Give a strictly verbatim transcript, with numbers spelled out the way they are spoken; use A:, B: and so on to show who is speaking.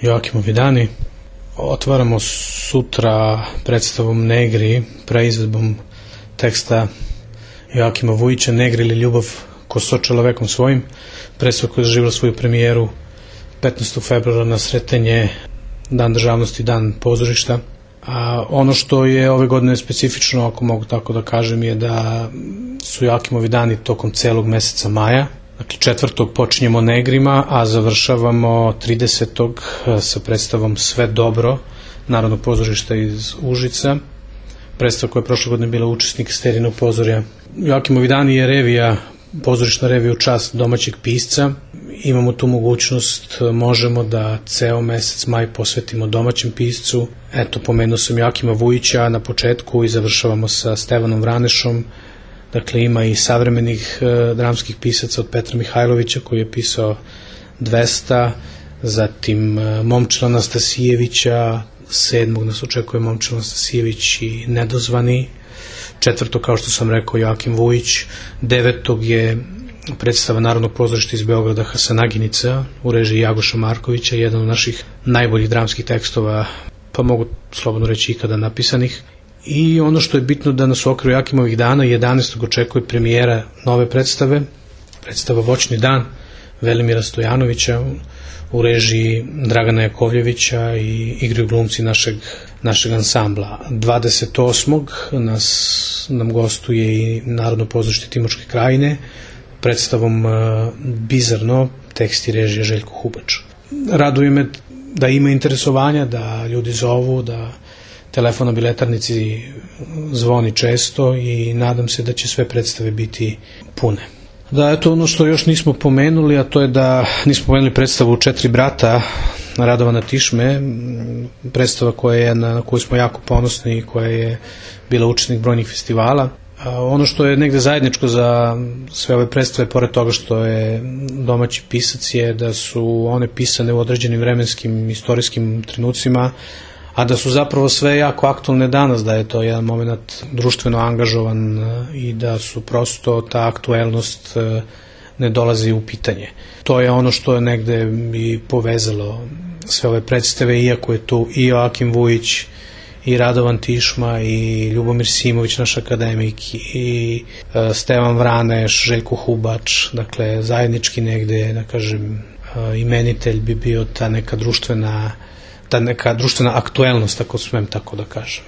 A: Joakimovi dani. Otvaramo sutra predstavom Negri, preizvedbom teksta Joakima Vujića, Negri ili ljubav ko so čovekom svojim, predstava koja je doživjela svoju premijeru petnaestog februara na Sretenje, Dan državnosti, Dan pozorišta. A ono što je ove godine specifično, ako mogu tako da kažem, je da su Joakimovi dani tokom celog meseca maja. Dakle, četvrtog počinjemo Negrima, a završavamo tridesetog sa predstavom Sve dobro, Narodnog pozorišta iz Užica. Predstava koja je prošle godine bila učesnik Sterinog pozorja. Joakimovi dani je revija, pozorišna revija u čast domaćeg pisca. Imamo tu mogućnost, možemo da ceo mesec maj posvetimo domaćem piscu. Eto, pomenuo sam Joakima Vujića na početku i završavamo sa Stevanom Vranešom. Dakle, ima i savremenih e, dramskih pisaca od Petra Mihajlovića koji je pisao dvesta, zatim e, Momčila Anastasijevića, sedmog nas očekuje Momčila Anastasijević i Nedozvani, četvrtog, kao što sam rekao, Joakim Vujić, devetog je predstava Narodnog pozorišta iz Beograda Hasanaginica u režiji Jagoša Markovića, jedan od naših najboljih dramskih tekstova, pa mogu slobodno reći ikada napisanih. I ono što je bitno da nas u okviru Joakimovih dana jedanaestog očekuje premijera nove predstave, predstava Voćni dan Velimira Stojanovića u režiji Dragana Jakovljevića i igraju glumci našeg, našeg ansambla. dvadeset osmog nas, nam gostuje i Narodno pozorište Timočke krajine predstavom uh, Bizarno, tekst i režija Željko Hubač. Raduje me da ima interesovanja, da ljudi zovu, da telefon na biletarnici zvoni često i nadam se da će sve predstave biti pune. Da, eto ono što još nismo pomenuli, a to je da nismo pomenuli predstavu Četiri brata Radovana Tišme, predstava koja je, na koju smo jako ponosni i koja je bila učesnik brojnih festivala. A ono što je negde zajedničko za sve ove predstave, pored toga što je domaći pisac, je da su one pisane u određenim vremenskim istorijskim trenucima, a da su zapravo sve jako aktualne danas, da je to jedan moment društveno angažovan i da su prosto ta aktuelnost ne dolazi u pitanje. To je ono što je negde i povezalo sve ove predstave, iako je tu i Joakim Vujić, i Radovan Tišma, i Ljubomir Simović, naš akademik, i Stevan Vraneš, Željko Hubač, dakle zajednički negde, da kažem, imenitelj bi bio ta neka društvena ta neka društvena aktuelnost, ako smem tako da kažem.